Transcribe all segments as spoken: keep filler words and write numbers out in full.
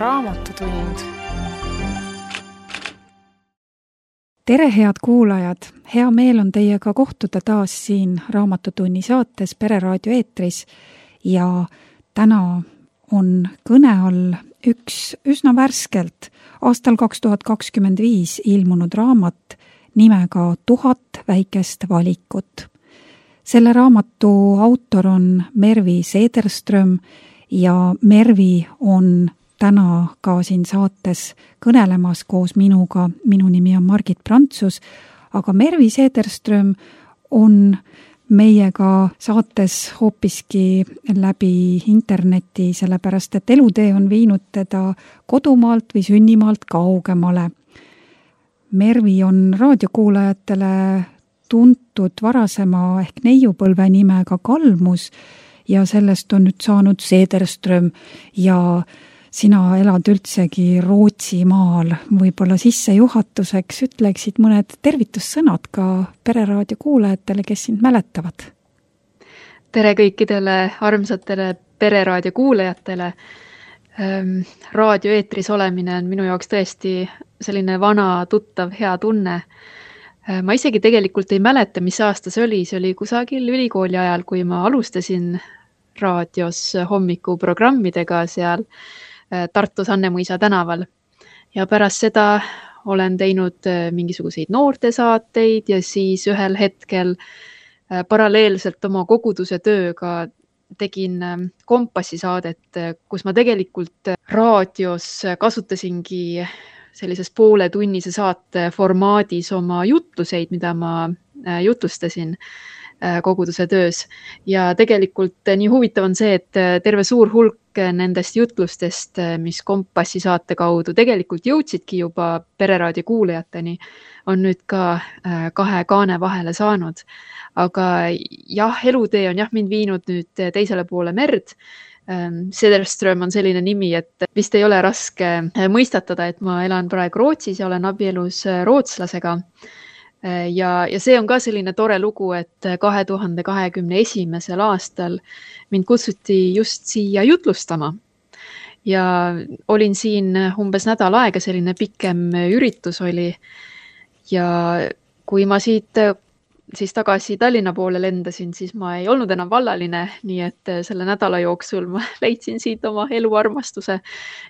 Raamatutund. Tere, head kuulajad! Hea meel on teiega kohtuda taas siin Raamatutunni saates Pereraadio eetris ja täna on kõne all üks üsna värskelt aastal kaks tuhat kakskümmend viis ilmunud raamat nimega Tuhat väikest valikut. Selle raamatu autor on Mervi Sederström ja Mervi on täna ka siin saates kõnelemas koos minuga. Minu nimi on Margit Prantsus, aga Mervi Sederström on meiega saates hoopiski läbi interneti, sellepärast et elutee on viinud teda kodumaalt või sünnimaalt kaugemale. Mervi on raadiokuulajatele tuntud varasema ehk neiupõlve nimega Kalmus ja sellest on nüüd saanud Sederström ja sina elad üldsegi Rootsimaal. Võib-olla sissejuhatuseks ütleksid mõned tervitussõnad ka Pereraadio kuulajatele, kes sind mäletavad. Tere kõikidele armsatele Pereraadio kuulajatele. Raadio eetris olemine on minu jaoks tõesti selline vana, tuttav, hea tunne. Ma isegi tegelikult ei mäleta, mis aasta see oli. See oli kusagil ülikooli ajal, kui ma alustasin raadios hommikuprogrammidega seal Tartus Annemõisa tänaval. Ja pärast seda olen teinud mingisuguseid noortesaateid ja siis ühel hetkel paralleelselt oma koguduse tööga tegin Kompassi saadet, kus ma tegelikult raadios kasutasingi sellises poole tunnise saate formaadis oma jutluseid, mida ma jutlustasin koguduse töös. Ja tegelikult nii huvitav on see, et terve suur hulk nendest jutlustest, mis Kompassi saate kaudu tegelikult jõudsidki juba Pereraadio kuulajateni, on nüüd ka kahe kaane vahele saanud. Aga jah, elutee on jah mind viinud nüüd teisele poole merd. Sederström on selline nimi, et vist ei ole raske mõistatada, et ma elan praegu Rootsis ja olen abielus rootslasega. Ja, ja see on ka selline tore lugu, et kahe tuhande kahekümne esimesel aastal mind kutsuti just siia jutlustama. Ja olin siin umbes nädal aega, selline pikem üritus oli. Ja kui ma siit siis tagasi Tallinna poole lendasin, siis ma ei olnud enam vallaline, nii et selle nädala jooksul ma leidsin siit oma eluarmastuse.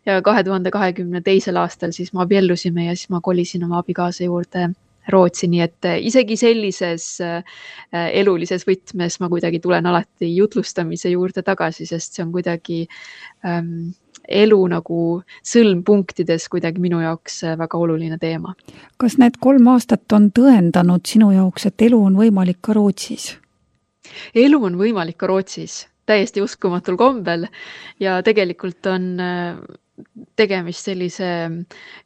Ja kahe tuhande kahekümne teisel aastal siis ma abiellusime ja siis ma kolisin oma abikaasa juurde Rootsi, nii et isegi sellises elulises võtmes ma kuidagi tulen alati jutlustamise juurde tagasi, sest see on kuidagi ähm, elu nagu sõlmpunktides kuidagi minu jaoks väga oluline teema. Kas need kolm aastat on tõendanud sinu jaoks, et elu on võimalik ka Rootsis? Elu on võimalik ka Rootsis, täiesti uskumatul kombel ja tegelikult on tegemist sellise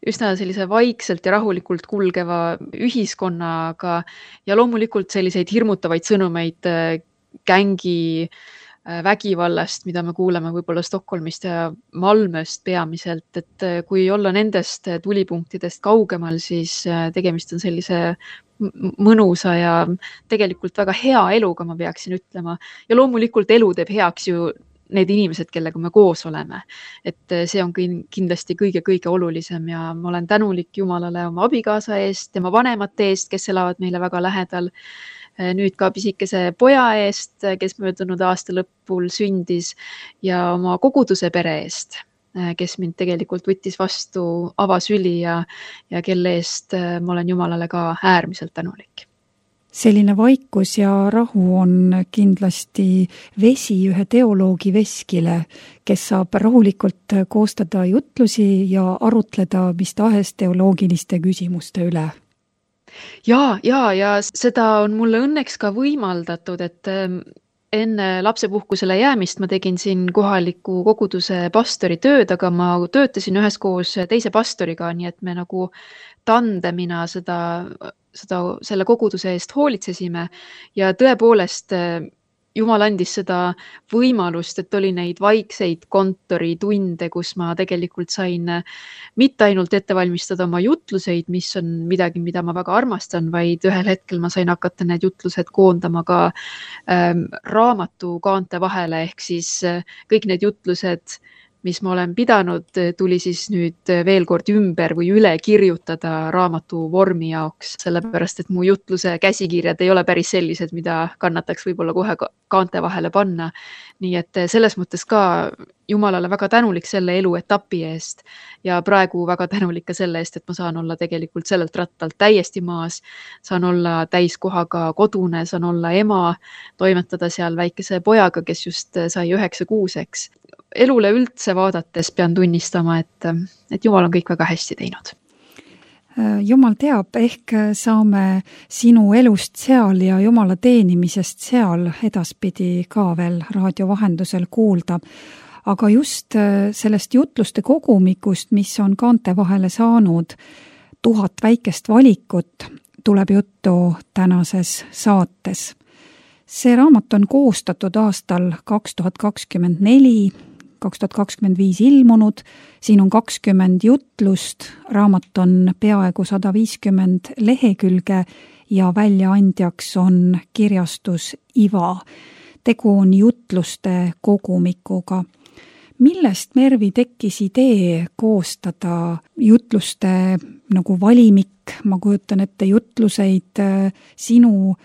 üsna sellise vaikselt ja rahulikult kulgeva ühiskonnaga ja loomulikult selliseid hirmutavaid sõnumeid gängi vägivallast, mida me kuuleme võib-olla Stockholmist ja Malmöst peamiselt, et kui olla nendest tulipunktidest kaugemal, siis tegemist on sellise mõnusa ja tegelikult väga hea eluga, ma peaksin ütlema. Ja loomulikult elu teeb heaks ju need inimesed, kellega me koos oleme. Et see on kindlasti kõige-kõige olulisem ja ma olen tänulik Jumalale oma abikaasa eest, tema vanemate eest, kes elavad meile väga lähedal. Nüüd ka pisikese poja eest, kes möödunud aasta lõpul sündis ja oma koguduse pere eest, kes mind tegelikult võttis vastu avasüli ja, ja kelle eest ma olen Jumalale ka äärmiselt tänulik. Selline vaikus ja rahu on kindlasti vesi ühe teoloogi veskile, kes saab rahulikult koostada jutlusi ja arutleda mis tahes teoloogiliste küsimuste üle. Ja, ja, ja seda on mulle õnneks ka võimaldatud, et enne lapsepuhkusele jäämist ma tegin siin kohaliku koguduse pastori tööd, aga ma töötasin üheskoos teise pastoriga, nii et me nagu tandemina seda seda, selle koguduse eest hoolitsesime ja tõepoolest Jumal andis seda võimalust, et oli neid vaikseid kontoritunde, kus ma tegelikult sain mitte ainult ette valmistada oma jutluseid, mis on midagi, mida ma väga armastan, vaid ühel hetkel ma sain hakata need jutlused koondama ka ähm, raamatu kaante vahele, ehk siis kõik need jutlused mis ma olen pidanud, tuli siis nüüd veel kord ümber või üle kirjutada raamatu vormi jaoks, sellepärast et mu jutluse käsikirjad ei ole päris sellised, mida kannataks võib-olla kohe kaante vahele panna. Nii et selles mõttes ka Jumalale väga tänulik selle eluetapi eest ja praegu väga tänulik ka selle eest, et ma saan olla tegelikult sellelt rattalt täiesti maas, saan olla täiskohaga kodune, saan olla ema, toimetada seal väikese pojaga, kes just sai üheksa kuuseks. Elule üldse vaadates pean tunnistama, et, et Jumal on kõik väga hästi teinud. Jumal teab, ehk saame sinu elust seal ja Jumala teenimisest seal edaspidi ka veel raadio vahendusel kuulda. Aga just sellest jutluste kogumikust, mis on kaante vahele saanud, tuhat väikest valikut, tuleb juttu tänases saates. See raamat on koostatud aastal kaks tuhat kakskümmend neli, kaks tuhat kakskümmend viis ilmunud, siin on kakskümmend jutlust, raamat on peaaegu sada viiskümmend lehekülge ja väljaandjaks on kirjastus Iva. Tegu on jutluste kogumikuga. Millest, Mervi, tekkis idee koostada jutluste nagu valimik, ma kujutan ette jutluseid sinu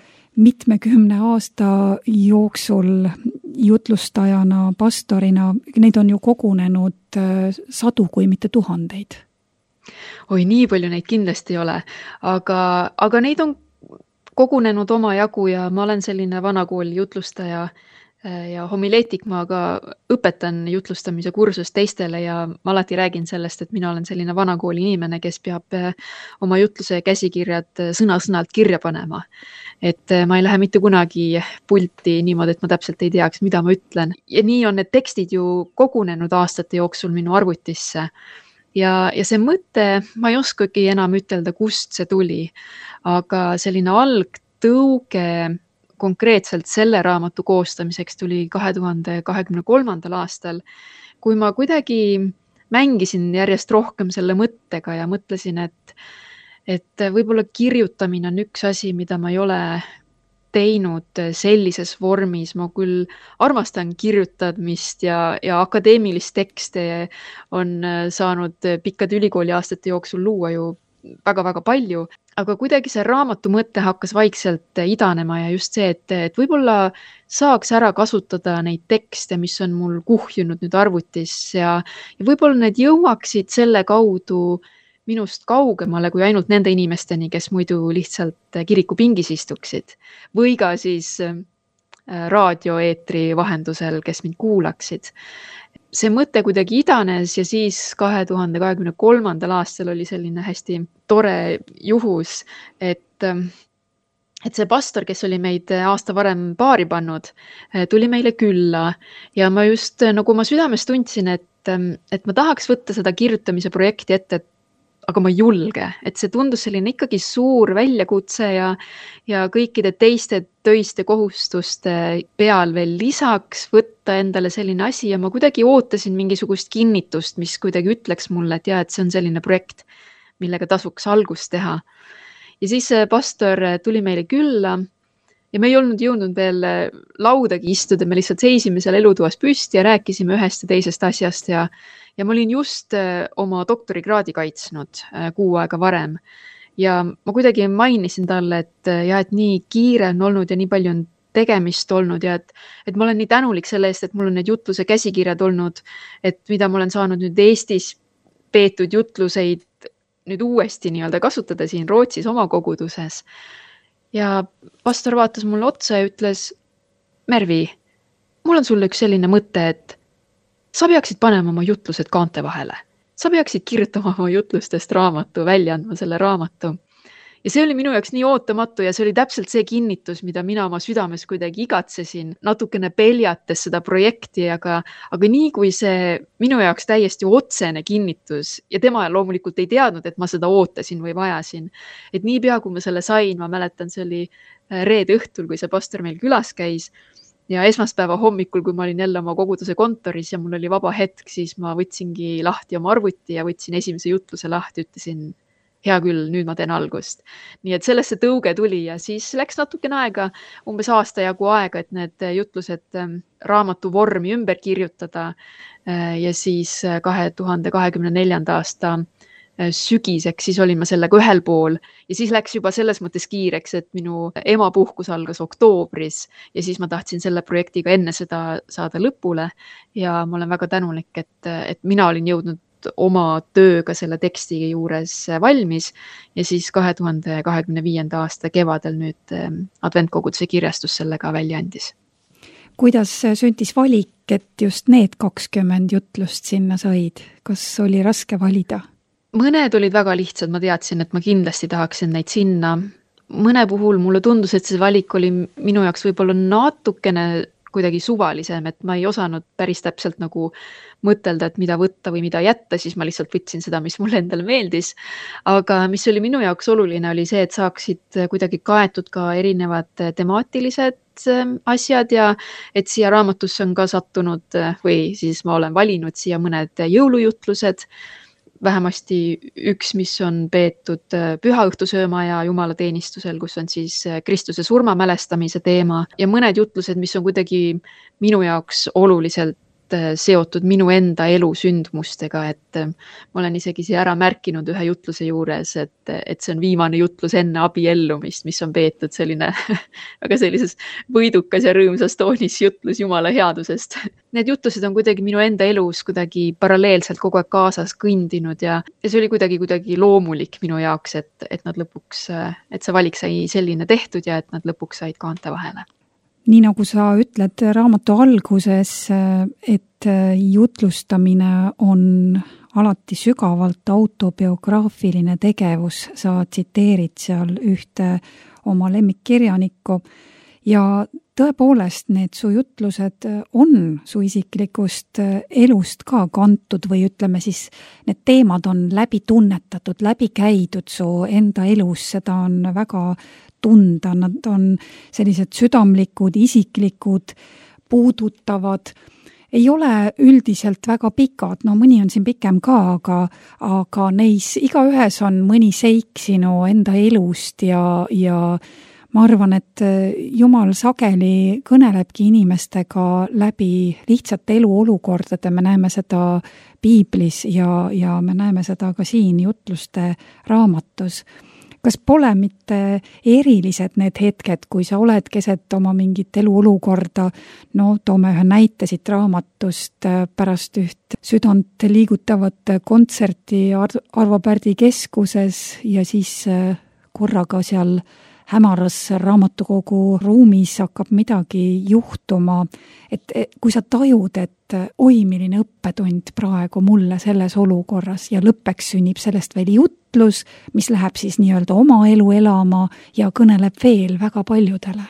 mitmekümne aasta jooksul jutlustajana, pastorina, neid on ju kogunenud sadu, kui mitte tuhandeid. Oi, nii palju neid kindlasti ei ole, aga, aga neid on kogunenud oma jagu ja ma olen selline vanakooli jutlustaja ja homileetik, ma ka õpetan jutlustamise kursust teistele ja ma alati räägin sellest, et mina olen selline vanakooli inimene, kes peab oma jutluse käsikirjad sõna-sõnalt kirja panema. Et ma ei lähe mitte kunagi pulti niimoodi, et ma täpselt ei teaks, mida ma ütlen. Ja nii on need tekstid ju kogunenud aastate jooksul minu arvutisse. Ja, ja see mõte, ma ei oskagi enam ütelda, kust see tuli, aga selline algtõuge konkreetselt selle raamatu koostamiseks tuli kahe tuhande kahekümne kolmandal aastal, kui ma kuidagi mängisin järjest rohkem selle mõttega ja mõtlesin, et, et võib-olla kirjutamine on üks asi, mida ma ei ole teinud sellises vormis. Ma küll armastan kirjutamist ja, ja akadeemilist tekste on saanud pikkade ülikooli aastate jooksul luua ju väga-väga palju, aga kuidagi see raamatu mõte hakkas vaikselt idanema ja just see, et, et võib-olla saaks ära kasutada neid tekste, mis on mul kuhjunud nüüd arvutis ja, ja võib-olla need jõuaksid selle kaudu minust kaugemale kui ainult nende inimesteni, kes muidu lihtsalt kirikupingis istuksid või ka siis raadioeetri vahendusel, kes mind kuulaksid. See mõte kuidagi idanes ja siis kahe tuhande kahekümne kolmandal aastal oli selline hästi tore juhus, et, et see pastor, kes oli meid aasta varem paari pannud, tuli meile külla ja ma just nagu ma südames tundsin, et, et ma tahaks võtta seda kirjutamise projekti ette, aga ma ei julge, et see tundus selline ikkagi suur väljakutse ja, ja kõikide teiste töiste kohustuste peal veel lisaks võtta endale selline asi ja ma kuidagi ootasin mingisugust kinnitust, mis kuidagi ütleks mulle, et, ja, et see on selline projekt, millega tasuks algust teha. Ja siis pastor tuli meile külla ja me ei olnud jõudnud veel laudagi istuda, me lihtsalt seisime seal elutoas püsti ja rääkisime ühest ja teisest asjast ja Ja ma olin just oma doktorikraadi kaitsnud kuu aega varem ja ma kuidagi mainisin talle, et, ja, et nii kiire on olnud ja nii palju on tegemist olnud ja et, et ma olen nii tänulik selle eest, et mul on need jutluse käsikirjad olnud, et mida ma olen saanud nüüd Eestis peetud jutluseid nüüd uuesti nii-öelda kasutada siin Rootsis oma koguduses. Ja pastor vaatas mulle otsa ja ütles, Mervi, mul on sulle üks selline mõte, et sa peaksid panema oma jutlused kaante vahele. Sa peaksid kirjutama oma jutlustest raamatu, välja andma selle raamatu. Ja see oli minu jaoks nii ootamatu ja see oli täpselt see kinnitus, mida mina oma südames kuidagi igatsesin, natukene peljates seda projekti, aga, aga nii kui see minu jaoks täiesti otsene kinnitus ja tema loomulikult ei teadnud, et ma seda ootasin või vajasin. Et nii pea, kui ma selle sain, ma mäletan, see oli reede õhtul, kui see pastor meil külas käis. Ja esmaspäeva hommikul, kui ma olin jälle oma koguduse kontoris ja mul oli vaba hetk, siis ma võtsingi lahti oma arvuti ja võtsin esimese jutluse lahti, ütlesin, hea küll, nüüd ma teen algust. Nii et sellest see tõuge tuli ja siis läks natukene aega, umbes aasta jagu aega, et need jutlused raamatu vormi ümber kirjutada ja siis kahe tuhande kahekümne neljanda aasta sügiseks, siis olin ma sellega ühel pool ja siis läks juba selles mõttes kiireks, et minu emapuhkus algas oktoobris ja siis ma tahtsin selle projektiga enne seda saada lõpule ja ma olen väga tänulik, et, et mina olin jõudnud oma tööga selle teksti juures valmis ja siis kahe tuhande kahekümne viienda aasta kevadel nüüd Adventkoguduse kirjastus selle ka välja andis. Kuidas sündis valik, et just need kakskümmend jutlust sinna said? Kas oli raske valida? Mõned olid väga lihtsad, ma teadsin, et ma kindlasti tahaksin neid sinna. Mõne puhul mulle tundus, et see valik oli minu jaoks võib-olla natukene kuidagi suvalisem, et ma ei osanud päris täpselt nagu mõtelda, et mida võtta või mida jätta, siis ma lihtsalt võtsin seda, mis mulle endale meeldis. Aga mis oli minu jaoks oluline, oli see, et saaksid kuidagi kaetud ka erinevad temaatilised asjad ja et siia raamatusse on ka sattunud või siis ma olen valinud siia mõned jõulujutlused, vähemasti üks, mis on peetud pühaõhtusööma ja jumalateenistusel, kus on siis Kristuse surma mälestamise teema ja mõned jutlused, mis on kuidagi minu jaoks oluliselt seotud minu enda elu sündmustega, et ma olen isegi siia ära märkinud ühe jutluse juures, et, et see on viimane jutlus enne abiellumist, mis on peetud selline väga sellises võidukas ja rõõmsas toonis jutlus Jumala headusest. Need jutlused on kuidagi minu enda elus kuidagi paralleelselt kogu aeg kaasas kõndinud ja, ja see oli kuidagi, kuidagi loomulik minu jaoks, et, et nad lõpuks, et see valik sai selline tehtud ja et nad lõpuks said kaante vahele. Nii nagu sa ütled raamatu alguses, et jutlustamine on alati sügavalt autobiograafiline tegevus, sa tsiteerid seal ühte oma lemmikkirjanikku ja tõepoolest need su jutlused on su isiklikust elust ka kantud või ütleme siis, need teemad on läbi tunnetatud, läbi käidud su enda elus, seda on väga tunda, nad on sellised südamlikud, isiklikud, puudutavad, ei ole üldiselt väga pikad, no mõni on siin pikem ka, aga, aga neis igaühes on mõni seik sinu enda elust ja, ja ma arvan, et Jumal sageli kõnelebki inimestega läbi lihtsate eluolukordade, me näeme seda piiblis ja, ja me näeme seda ka siin jutluste raamatus. Kas pole mitte erilised need hetked, kui sa oled keset oma mingit eluolukorda, no toome ühe näite siit raamatust pärast üht südant liigutavat kontserti Arvo Pärdi keskuses ja siis korraga seal hämaras raamatukogu ruumis hakkab midagi juhtuma, et kui sa tajud, et oi, milline õppetund praegu mulle selles olukorras ja lõppeks sünnib sellest veel jutlus, mis läheb siis nii-öelda oma elu elama ja kõneleb veel väga paljudele.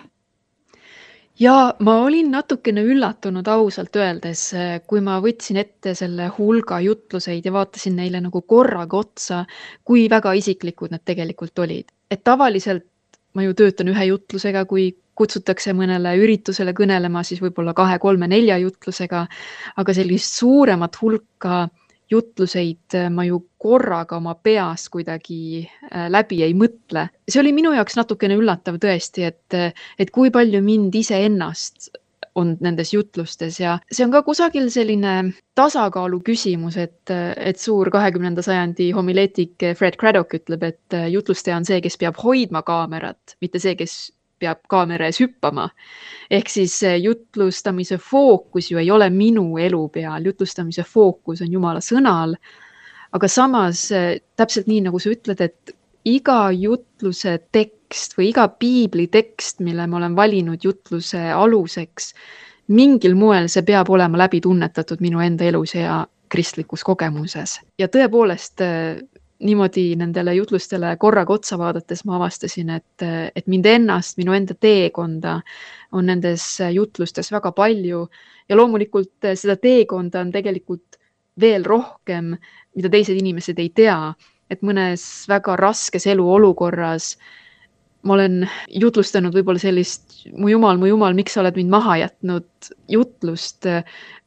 Ja ma olin natukene üllatunud ausalt öeldes, kui ma võtsin ette selle hulga jutluseid ja vaatasin neile nagu korraga otsa, kui väga isiklikud need tegelikult olid. Et tavaliselt ma ju töötan ühe jutlusega, kui kutsutakse mõnele üritusele kõnelema, siis võib-olla kahe, kolme, nelja jutlusega, aga sellist suuremat hulka jutluseid ma ju korraga oma peas kuidagi läbi ei mõtle. See oli minu jaoks natukene üllatav tõesti, et, et kui palju mind ise ennast on nendes jutlustes ja see on ka kusagil selline tasakaalu küsimus, et, et suur kahekümnenda sajandi homileetik Fred Craddock ütleb, et jutlustaja on see, kes peab hoidma kaamerat, mitte see, kes peab kaamera ees hüppama. Ehk siis jutlustamise fookus ju ei ole minu elu peal, jutlustamise fookus on Jumala sõnal, aga samas täpselt nii, nagu sa ütled, et iga jutluse tekst või iga piibli tekst, mille ma olen valinud jutluse aluseks, mingil moel see peab olema läbi tunnetatud minu enda elus ja kristlikus kogemuses. Ja tõepoolest niimoodi nendele jutlustele korraga otsa vaadates ma avastasin, et, et mind ennast, minu enda teekonda on nendes jutlustes väga palju ja loomulikult seda teekonda on tegelikult veel rohkem, mida teised inimesed ei tea, et mõnes väga raskes eluolukorras ma olen jutlustanud võib-olla sellist mu Jumal, mu Jumal, miks sa oled mind maha jätnud jutlust,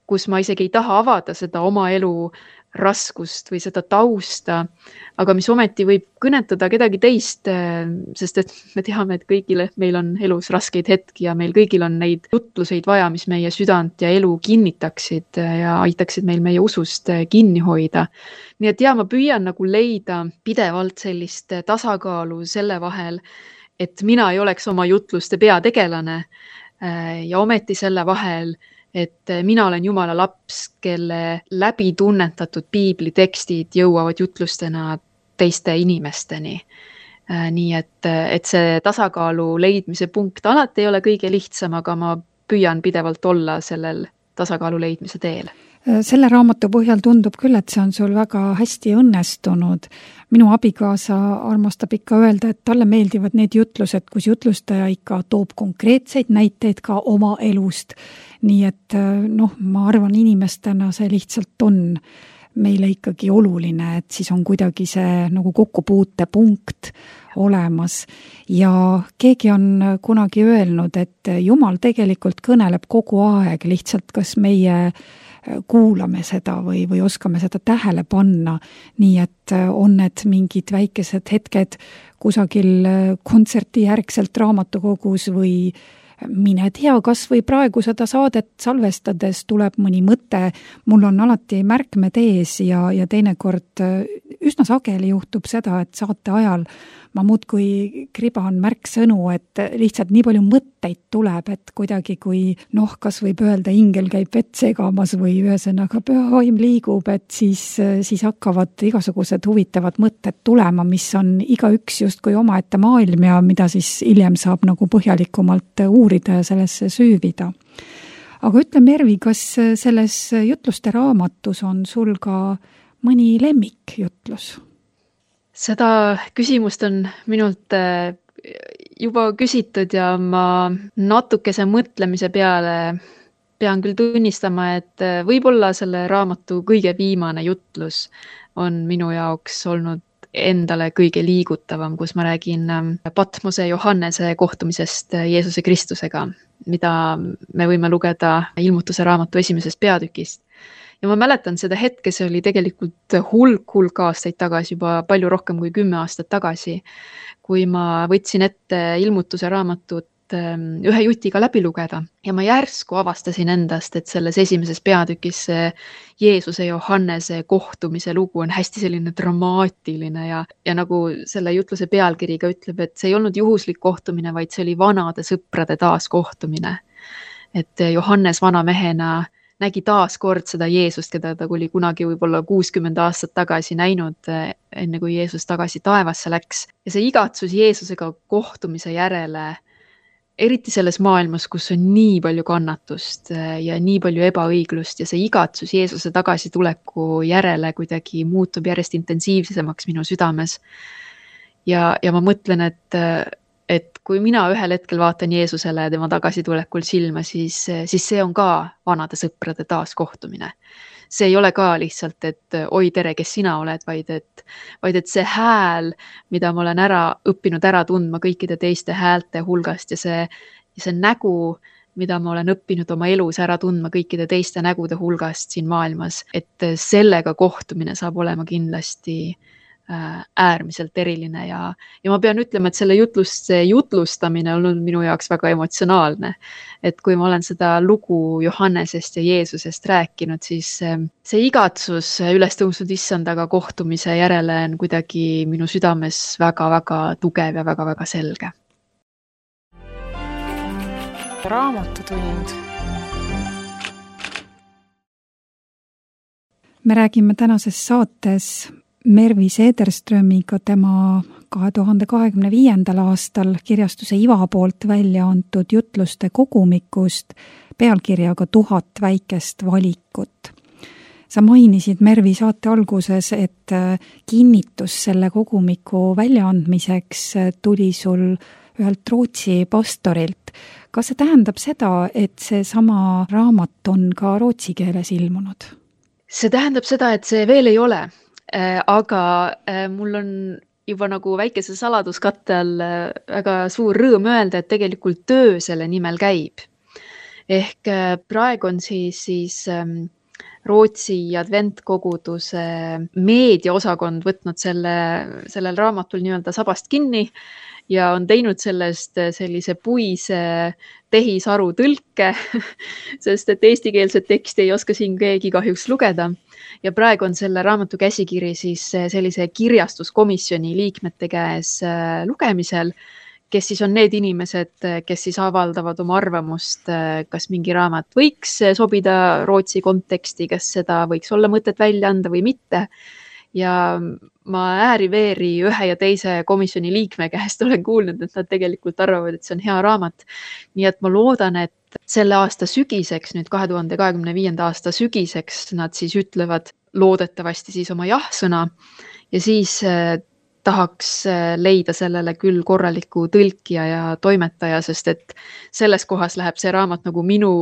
kus ma isegi ei taha avada seda oma elu raskust või seda tausta, aga mis ometi võib kõnetada kedagi teist, sest et me teame, et kõigile meil on elus raskeid hetki ja meil kõigil on neid jutluseid vaja, mis meie südant ja elu kinnitaksid ja aitaksid meil meie usust kinni hoida. Nii et ja, ma püüan nagu leida pidevalt sellist tasakaalu selle vahel, et mina ei oleks oma jutluste peategelane ja ometi selle vahel, et mina olen Jumala laps, kelle läbi tunnetatud piiblitekstid jõuavad jutlustena teiste inimesteni. Nii et, et see tasakaalu leidmise punkt alati ei ole kõige lihtsam, aga ma püüan pidevalt olla sellel tasakaalu leidmise teel. Selle raamatu põhjal tundub küll, et see on sul väga hästi õnnestunud. Minu abikaasa armastab ikka öelda, et talle meeldivad need jutlused, kus jutlustaja ikka toob konkreetseid näiteid ka oma elust. Nii et noh, ma arvan inimestena see lihtsalt on meile ikkagi oluline, et siis on kuidagi see nagu kokkupuutepunkt olemas. Ja keegi on kunagi öelnud, et Jumal tegelikult kõneleb kogu aeg, lihtsalt kas meie kuulame seda või, või oskame seda tähele panna, nii et on need mingid väikesed hetked kusagil kontserti järgselt raamatukogus või mine tea, kas või praegu seda saadet salvestades tuleb mõni mõte, mul on alati märkmed ees ja, ja teinekord üsna sageli juhtub seda, et saate ajal ma muudkui kriban märksõnu, et lihtsalt nii palju mõtteid tuleb, et kuidagi kui noh, kas võib öelda, ingel käib vett segamas või ühesõnaga püha vaim liigub, et siis, siis hakkavad igasugused huvitavad mõtted tulema, mis on igaüks justkui omaette maailm ja mida siis hiljem saab nagu põhjalikumalt uurida ja sellesse süüvida. Aga ütle, Mervi, kas selles jutluste raamatus on sul ka mõni lemmikjutlus? Seda küsimust on minult juba küsitud ja ma natukese mõtlemise peale pean küll tunnistama, et võib-olla selle raamatu kõige viimane jutlus on minu jaoks olnud endale kõige liigutavam, kus ma räägin Patmose Johannese kohtumisest Jeesuse Kristusega, mida me võime lugeda Ilmutuse raamatu esimesest peatükist. Ja ma mäletan seda hetke, see oli tegelikult hulk, hulk aastaid tagasi, juba palju rohkem kui kümme aastat tagasi, kui ma võtsin ette Ilmutuse raamatut ühe jutiga läbi lugeda ja ma järsku avastasin endast, et selles esimeses peatükis Jeesuse ja Johannese kohtumise lugu on hästi selline dramaatiline ja, ja nagu selle jutluse pealkiriga ütleb, et see ei olnud juhuslik kohtumine, vaid see oli vanade sõprade taaskohtumine. Et Johannes vanamehena nägi taas kord seda Jeesust, keda ta oli kunagi võib-olla kuuskümmend aastat tagasi näinud, enne kui Jeesus tagasi taevasse läks. Ja see igatsus Jeesusega kohtumise järele, eriti selles maailmas, kus on nii palju kannatust ja nii palju ebaõiglust ja see igatsus Jeesuse tagasi tuleku järele kuidagi muutub järjest intensiivsemaks minu südames. Ja, ja ma mõtlen, et et kui mina ühel hetkel vaatan Jeesusele ja tema tagasitulekul silma, siis, siis see on ka vanade sõprade taaskohtumine. See ei ole ka lihtsalt, et oi tere, kes sina oled, vaid et, vaid et see hääl, mida ma olen ära õppinud ära tundma kõikide teiste häälte hulgast ja see, ja see nägu, mida ma olen õppinud oma elus ära tundma kõikide teiste nägude hulgast siin maailmas, et sellega kohtumine saab olema kindlasti äärmiselt eriline ja, ja ma pean ütlema, et selle jutlust, see jutlustamine on olnud minu jaoks väga emotsionaalne. Et kui ma olen seda lugu Johannesest ja Jeesusest rääkinud, siis see igatsus üles tõusnud issandaga kohtumise järele on kuidagi minu südames väga-väga tugev ja väga-väga selge. Raamatutund. Me räägime tänases saates Mervi Seederströmiga tema kahe tuhande kahekümne viiendal aastal kirjastuse Iva poolt välja antud jutluste kogumikust pealkirjaga Tuhat väikest valikut. Sa mainisid Mervi saate alguses, et kinnitus selle kogumiku väljaandmiseks tuli sul ühelt Rootsi pastorilt. Kas see tähendab seda, et see sama raamat on ka rootsi keeles ilmunud? See tähendab seda, et see veel ei ole. Aga mul on juba nagu väikese saladuskatte all väga suur rõõm öelda, et tegelikult töö selle nimel käib. Ehk praegu on siis, siis Rootsi adventkoguduse meediaosakond võtnud selle, sellel raamatul nii-öelda sabast kinni ja on teinud sellest sellise puise tehisaru tõlke, sest et eestikeelset teksti ei oska siin keegi kahjuks lugeda. Ja praegu on selle raamatu käsikiri siis sellise kirjastuskomisjoni liikmete käes lugemisel, kes siis on need inimesed, kes siis avaldavad oma arvamust, kas mingi raamat võiks sobida Rootsi konteksti, kas seda võiks olla mõtet välja anda või mitte. Ja ma ääri-veeri ühe ja teise komisjoni liikme käest olen kuulnud, et nad tegelikult arvavad, et see on hea raamat. Nii et ma loodan, et selle aasta sügiseks, nüüd kahe tuhande kahekümne viienda aasta sügiseks nad siis ütlevad loodetavasti siis oma jah-sõna ja siis tahaks leida sellele küll korraliku tõlkija ja toimetaja, sest et selles kohas läheb see raamat nagu minu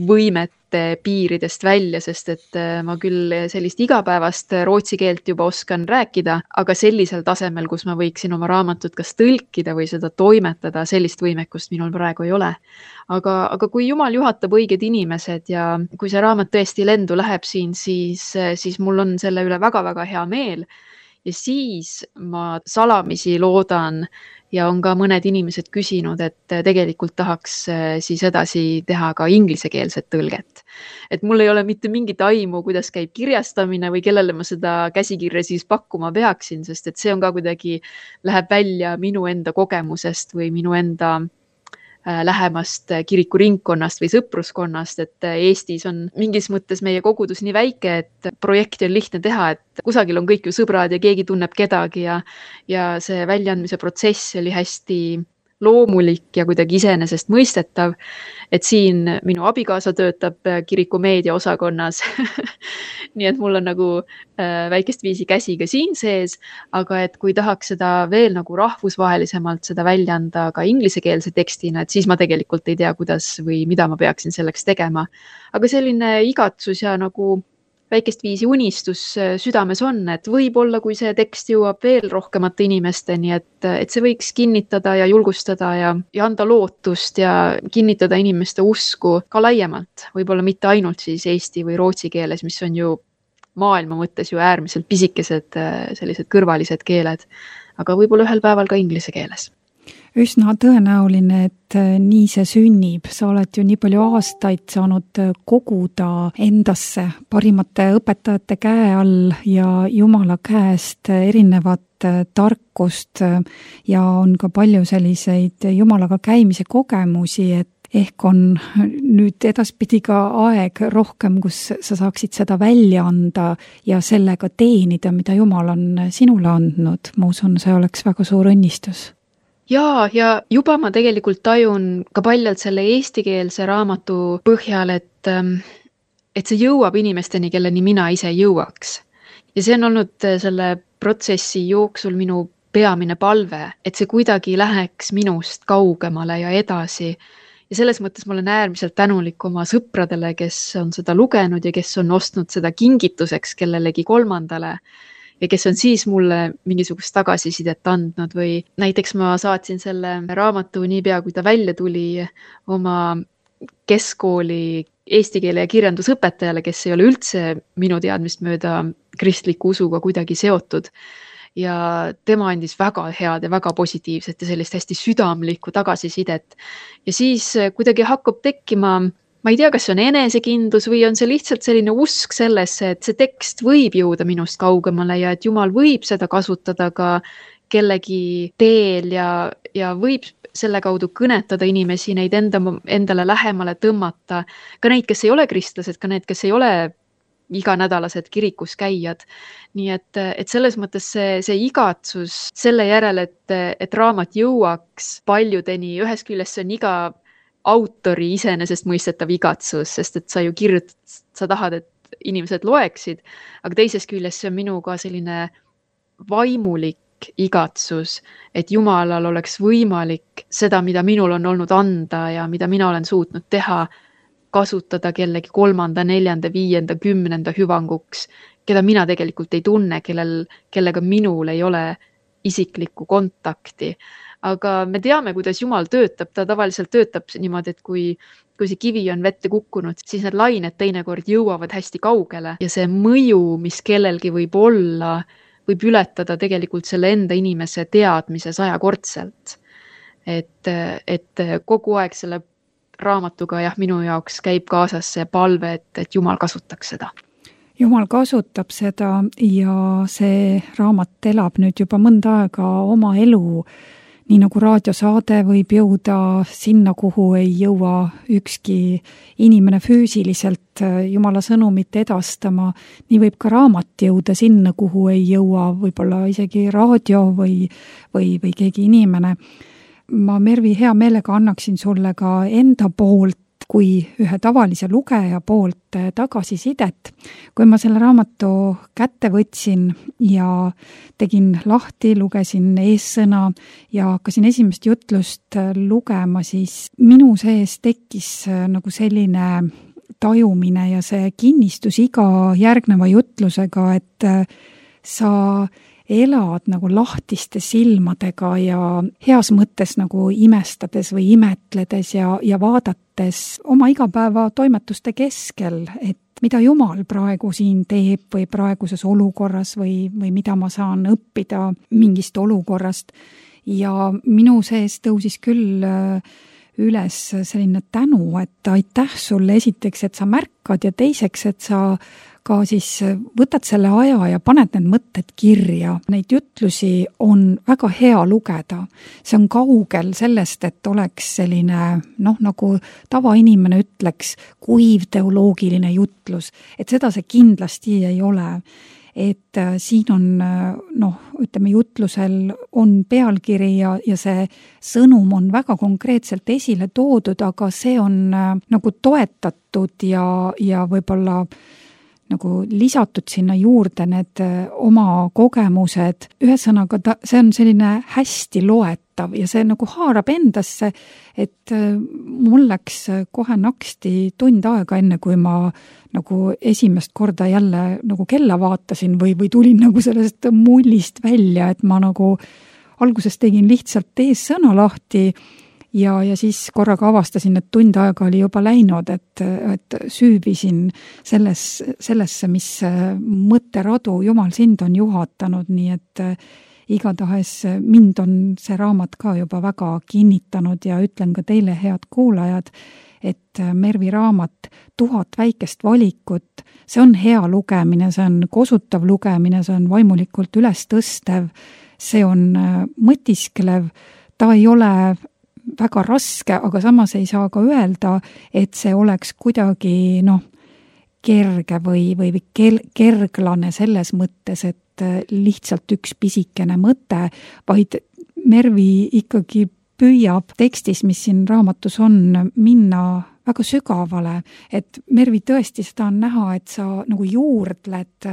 võimete piiridest välja, sest et ma küll sellist igapäevast rootsi keelt juba oskan rääkida, aga sellisel tasemel, kus ma võiksin oma raamatut kas tõlkida või seda toimetada, sellist võimekust minul praegu ei ole. Aga, aga kui Jumal juhatab õiged inimesed ja kui see raamat tõesti lendu läheb siin, siis, siis mul on selle üle väga-väga hea meel. Ja siis ma salamisi loodan ja on ka mõned inimesed küsinud, et tegelikult tahaks siis edasi teha ka inglisekeelset tõlget. Et mul ei ole mitte mingit aimu, kuidas käib kirjastamine või kellele ma seda käsikirja siis pakkuma peaksin, sest et see on ka kuidagi, läheb välja minu enda kogemusest või minu enda lähemast kirikuringkonnast või sõpruskonnast, et Eestis on mingis mõttes meie kogudus nii väike, et projekti on lihtne teha, et kusagil on kõik ju sõbrad ja keegi tunneb kedagi ja, ja see väljaandmise protsess oli hästi loomulik ja kuidagi iseenesest mõistetav, et siin minu abikaasa töötab kiriku meediaosakonnas. Nii et mul on nagu väikest viisi käsi ka siin sees, aga et kui tahaks seda veel nagu rahvusvahelisemalt seda välja anda ka inglisekeelse tekstina, et siis ma tegelikult ei tea, kuidas või mida ma peaksin selleks tegema. Aga selline igatsus ja nagu väikest viisi unistus südames on, et võib-olla, kui see tekst jõuab veel rohkemate inimesteni, et, et see võiks kinnitada ja julgustada ja, ja anda lootust ja kinnitada inimeste usku ka laiemalt. Võib-olla mitte ainult siis eesti või rootsi keeles, mis on ju maailma mõttes ju äärmiselt pisikesed sellised kõrvalised keeled, aga võib-olla ühel päeval ka inglise keeles. Üsna tõenäoline, et nii see sünnib. Sa oled ju nii palju aastaid saanud koguda endasse parimate õpetajate käe all ja Jumala käest erinevat tarkust ja on ka palju selliseid Jumalaga käimise kogemusi, et ehk on nüüd edaspidi ka aeg rohkem, kus sa saaksid seda välja anda ja sellega teenida, mida Jumal on sinule andnud. Ma usun, see oleks väga suur õnnistus. Ja, ja juba ma tegelikult tajun ka paljalt selle eestikeelse raamatu põhjal, et, et see jõuab inimesteni, kelleni mina ise jõuaks. Ja see on olnud selle protsessi jooksul minu peamine palve, et see kuidagi läheks minust kaugemale ja edasi. Ja selles mõttes ma olen äärmiselt tänulik oma sõpradele, kes on seda lugenud ja kes on ostnud seda kingituseks kellelegi kolmandale. Ja kes on siis mulle mingisugust tagasisidet andnud või näiteks ma saatsin selle raamatu niipea, kui ta välja tuli oma keskkooli eesti keele ja kirjandusõpetajale, kes ei ole üldse minu teadmist mööda kristliku usuga kuidagi seotud. Ja tema andis väga head ja väga positiivset ja sellist hästi südamlikku tagasisidet. Ja siis kuidagi hakkab tekkima, ma ei tea, kas see on enesekindlus või on see lihtsalt selline usk sellesse, et see tekst võib jõuda minust kaugemale ja et Jumal võib seda kasutada ka kellegi teel ja, ja võib selle kaudu kõnetada inimesi, neid enda, endale lähemale tõmmata. Ka neid, kes ei ole kristlased, ka need, kes ei ole iganädalased kirikus käijad. Nii et, et selles mõttes see, see igatsus selle järel, et, et raamat jõuaks paljudeni, ühes küljest see on iga autori iseenesest mõistetav igatsus, sest et sa ju kirjutad, sa tahad, et inimesed loeksid, aga teises küljest see on minu ka selline vaimulik igatsus, et Jumalal oleks võimalik seda, mida minul on olnud anda ja mida mina olen suutnud teha, kasutada kellegi kolmanda, neljanda, viienda, kümnenda hüvanguks, keda mina tegelikult ei tunne, kellel, kellega minul ei ole isiklikku kontakti. Aga me teame, kuidas Jumal töötab, ta tavaliselt töötab niimoodi, et kui, kui see kivi on vette kukkunud, siis need lained teinekord jõuavad hästi kaugele ja see mõju, mis kellelgi võib olla, võib ületada tegelikult selle enda inimese teadmise sajakordselt. Et, et kogu aeg selle raamatuga jah, minu jaoks käib kaasas see palve, et, et Jumal kasutaks seda. Jumal kasutab seda ja see raamat elab nüüd juba mõnda aega oma elu, nii nagu raadiosaade võib jõuda sinna, kuhu ei jõua ükski inimene füüsiliselt Jumala sõnumit edastama, nii võib ka raamat jõuda sinna, kuhu ei jõua võib-olla isegi raadio või, või, või keegi inimene. Ma, Mervi, hea meelega annaksin sulle ka enda poolt kui ühe tavalise lugeja poolt tagasisidet. Kui ma selle raamatu kätte võtsin ja tegin lahti, lugesin eessõna ja hakkasin esimest jutlust lugema, siis minu sees tekkis nagu selline tajumine ja see kinnistus iga järgneva jutlusega, et sa elad nagu lahtiste silmadega ja heas mõttes nagu imestades või imetledes ja, ja vaadates oma igapäeva toimetuste keskel, et mida Jumal praegu siin teeb või praeguses olukorras või, või mida ma saan õppida mingist olukorrast. Ja minu sees tõusis küll üles selline tänu, et aitäh sulle esiteks, et sa märkad ja teiseks, et sa ka siis võtad selle aja ja paned need mõtted kirja. Neid jutlusi on väga hea lugeda. See on kaugel sellest, et oleks selline, noh, nagu tavainimene ütleks, kuiv teoloogiline jutlus. Et seda see kindlasti ei ole. Et siin on, noh, ütleme, jutlusel on pealkiri ja, ja see sõnum on väga konkreetselt esile toodud, aga see on nagu toetatud ja, ja võib-olla nagu lisatud sinna juurde need oma kogemused. Ühesõnaga, ta, see on selline hästi loetav ja see nagu haarab endasse, et mul läks kohe naksti tund aega enne, kui ma nagu esimest korda jälle nagu kella vaatasin või, või tulin nagu sellest mullist välja, et ma nagu alguses tegin lihtsalt eessõna lahti Ja, ja siis korraga avastasin, et tund aega oli juba läinud, et, et süübisin selles, sellesse, mis mõtteradu Jumal sind on juhatanud, nii et igatahes mind on see raamat ka juba väga kinnitanud ja ütlen ka teile, head kuulajad, et Mervi raamat Tuhat väikest valikut, see on hea lugemine, see on kosutav lugemine, see on vaimulikult üles tõstev, see on mõtisklev, ta ei ole väga raske, aga samas ei saa ka öelda, et see oleks kuidagi noh, kerge või, või kerglane selles mõttes, et lihtsalt üks pisikene mõte, vaid Mervi ikkagi püüab tekstis, mis siin raamatus on, minna väga sügavale, et Mervi tõesti seda on näha, et sa nagu juurdled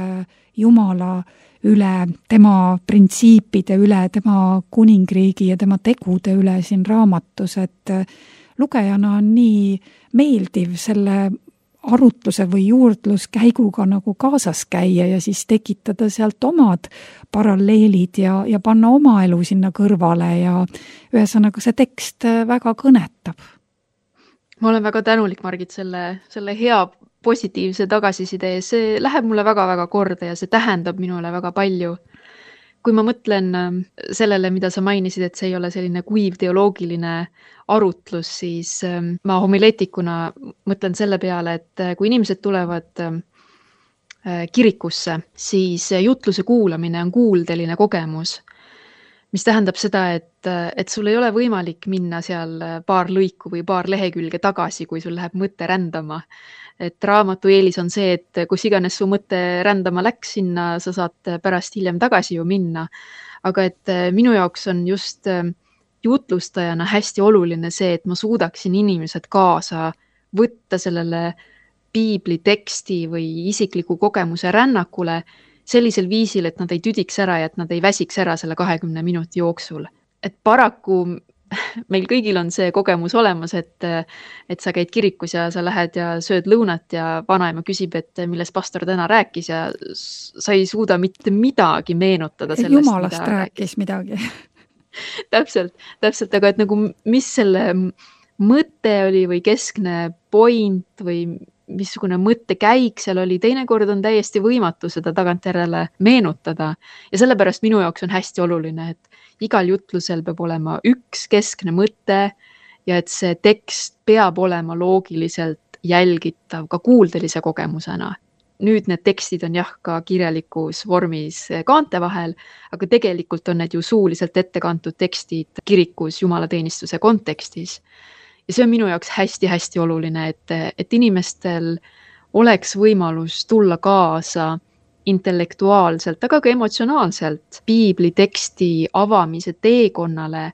Jumala üle, tema printsiipide üle, tema kuningriigi ja tema tegude üle siin raamatus, et lugejana on nii meeldiv selle arutluse või juurdluskäiguga nagu kaasas käia ja siis tekitada sealt omad paralleelid ja, ja panna oma elu sinna kõrvale ja ühesõnaga see tekst väga kõnetab. Ma olen väga tänulik, Margit, selle, selle hea positiivse tagasiside ja see läheb mulle väga-väga korda ja see tähendab minule väga palju. Kui ma mõtlen sellele, mida sa mainisid, et see ei ole selline kuiv teoloogiline arutlus, siis ma homileetikuna mõtlen selle peale, et kui inimesed tulevad kirikusse, siis jutluse kuulamine on kuuldeline kogemus, mis tähendab seda, et, et sul ei ole võimalik minna seal paar lõiku või paar lehekülge tagasi, kui sul läheb mõte rändama. Et raamatu eelis on see, et kus iganes su mõte rändama läks sinna, sa saad pärast hiljem tagasi ju minna. Aga et minu jaoks on just jutlustajana hästi oluline see, et ma suudaksin inimesed kaasa võtta sellele piibli teksti või isikliku kogemuse rännakule sellisel viisil, et nad ei tüdiks ära ja et nad ei väsiks ära selle kahekümne minuti jooksul. Et paraku meil kõigil on see kogemus olemas, et, et sa käid kirikus ja sa lähed ja sööd lõunat ja vanaema küsib, et millest pastor täna rääkis ja sa ei suuda mitte midagi meenutada sellest, Jumalast rääkis midagi. täpselt, täpselt, aga et nagu mis selle mõte oli või keskne point või missugune mõttekäik seal oli, teinekord on täiesti võimatu seda tagantjärele meenutada. Ja sellepärast minu jaoks on hästi oluline, et igal jutlusel peab olema üks keskne mõte ja et see tekst peab olema loogiliselt jälgitav ka kuuldelise kogemusena. Nüüd need tekstid on jah ka kirjalikus vormis kaante vahel, aga tegelikult on need ju suuliselt ette kantud tekstid kirikus jumalateenistuse kontekstis. Ja see on minu jaoks hästi-hästi oluline, et, et inimestel oleks võimalus tulla kaasa intellektuaalselt, aga ka emotsionaalselt piibli teksti avamise teekonnale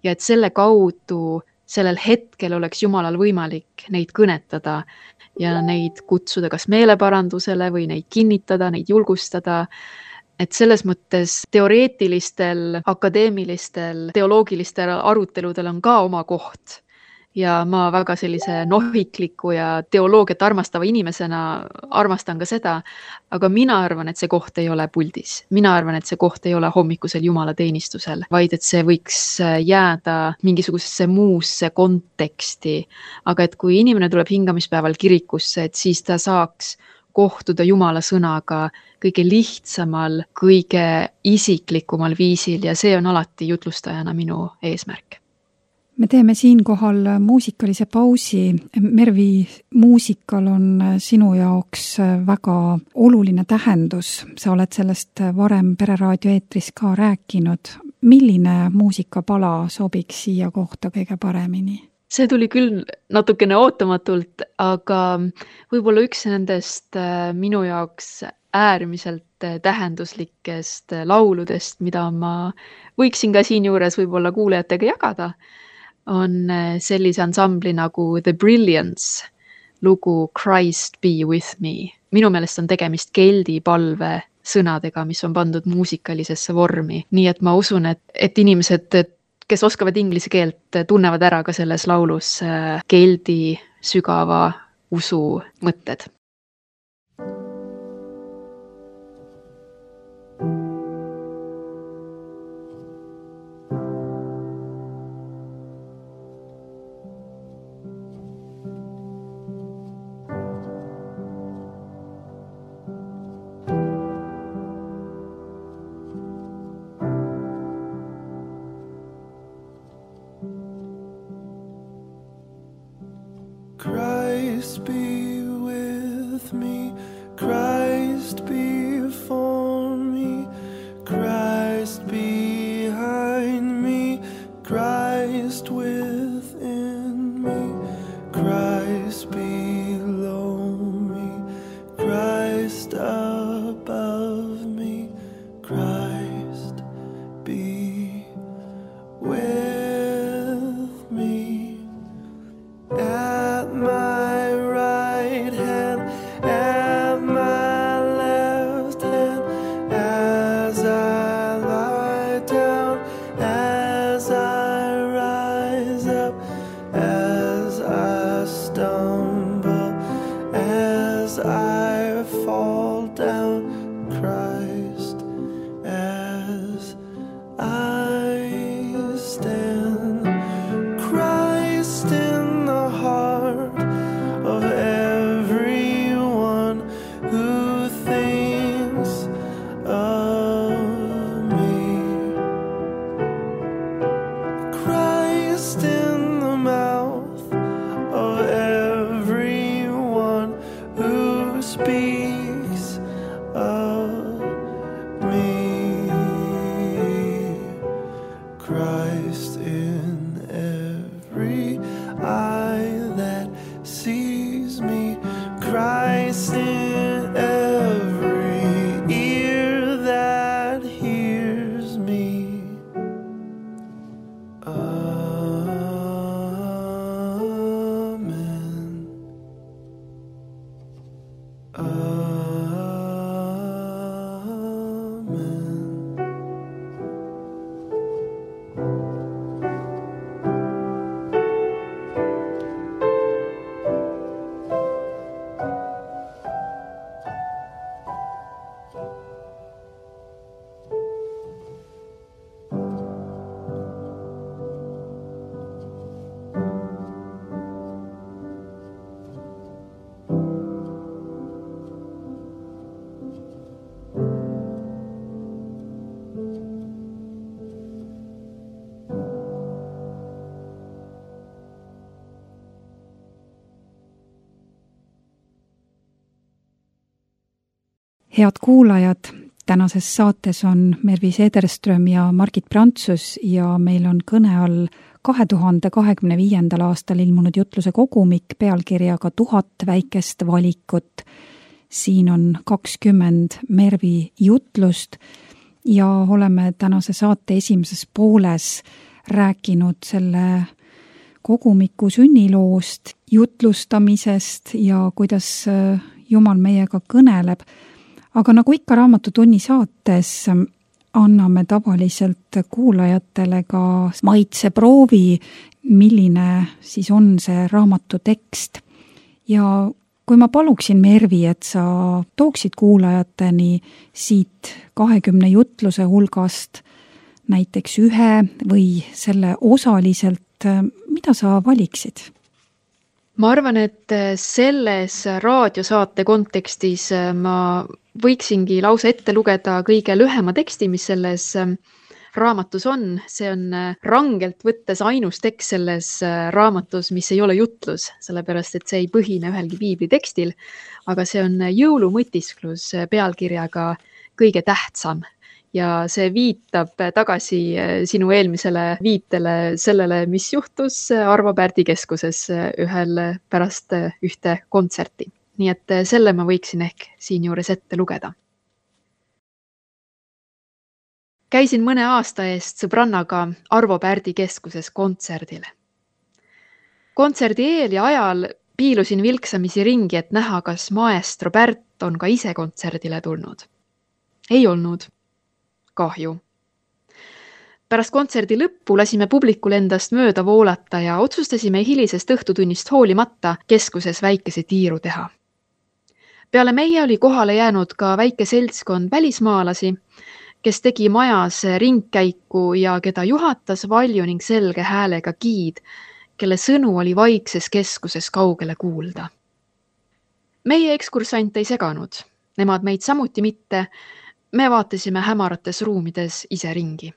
ja et selle kaudu sellel hetkel oleks Jumalal võimalik neid kõnetada ja neid kutsuda kas meeleparandusele või neid kinnitada, neid julgustada. Et selles mõttes teoreetilistel, akadeemilistel, teoloogilistel aruteludel on ka oma koht. Ja ma väga sellise nohikliku ja teoloogiat armastava inimesena armastan ka seda, aga mina arvan, et see koht ei ole puldis. Mina arvan, et see koht ei ole hommikusel jumalateenistusel, vaid et see võiks jääda mingisugusesse muusse konteksti. Aga et kui inimene tuleb hingamispäeval kirikusse, et siis ta saaks kohtuda Jumala sõnaga kõige lihtsamal, kõige isiklikumal viisil ja see on alati jutlustajana minu eesmärk. Me teeme siinkohal muusikalise pausi. Mervi, muusikal on sinu jaoks väga oluline tähendus. Sa oled sellest varem Pereraadio eetris ka rääkinud. Milline muusikapala sobiks siia kohta kõige paremini? See tuli küll natukene ootamatult, aga võib-olla üks nendest minu jaoks äärmiselt tähenduslikest lauludest, mida ma võiksin ka siin juures võib-olla kuulajatega jagada, on sellise ansambli nagu The Brilliance lugu Christ be with me. Minu meelest on tegemist keldi palve sõnadega, mis on pandud muusikalisesse vormi. Nii et ma usun, et, et inimesed, kes oskavad inglise keelt, tunnevad ära ka selles laulus keldi sügava usu mõtted. Christ be with me, Christ be for me, Christ behind me, Christ within me, Christ below me, Christ above me, Christ be with me. At my right hand, at my left hand, as I lie down, as I rise up, as I stumble, as I fall down, Christ, as I stand, Christ in the heart of everyone who thinks of me. Christ in the mouth of everyone who speaks of me. Christ in every eye that sees me, Christ in every ear that hears me. Amen. Amen. head kuulajad, tänases saates on Mervi Sederström ja Margit Prantsus ja meil on kõne all kahe tuhande kahekümne viiendal aastal ilmunud jutluse kogumik pealkirjaga Tuhat väikest valikut. Siin on kakskümmend Mervi jutlust ja oleme tänase saate esimeses pooles rääkinud selle kogumiku sünniloost, jutlustamisest ja kuidas Jumal meiega kõneleb. Aga nagu ikka Raamatutunni saates anname tavaliselt kuulajatele ka maitseproovi, milline siis on see raamatu tekst. Ja kui ma paluksin Mervi, et sa tooksid kuulajateni siit kahekümne jutluse hulgast näiteks ühe või selle osaliselt, mida sa valiksid? Ma arvan, et selles raadiosaate kontekstis ma võiksingi lausa ette lugeda kõige lühema teksti, mis selles raamatus on. See on rangelt võttes ainus tekst selles raamatus, mis ei ole jutlus, sellepärast et see ei põhine ühelgi piibli tekstil, aga see on jõulumõtisklus pealkirjaga Kõige tähtsam. Ja see viitab tagasi sinu eelmisele viitele sellele, mis juhtus Arvo Pärdi keskuses ühel pärast ühte kontserti. Nii et selle ma võiksin ehk siin juures ette lugeda. Käisin mõne aasta eest sõbrannaga Arvo Pärdi keskuses kontserdile. Kontserdi eel ja ajal piilusin vilksamisi ringi, et näha, kas maestro Pärt on ka ise kontserdile tulnud. Ei olnud. Kahju. Pärast kontserdi lõppu lasime publikul endast mööda voolata ja otsustasime hilisest õhtutunnist hoolimata keskuses väikese tiiru teha. Peale meie oli kohale jäänud ka väike seltskond välismaalasi, kes tegi majas ringkäiku ja keda juhatas valju ning selge häälega giid, kelle sõnu oli vaikses keskuses kaugele kuulda. Meie ekskursant ei seganud, nemad meid samuti mitte. Me vaatasime hämarates ruumides ise ringi.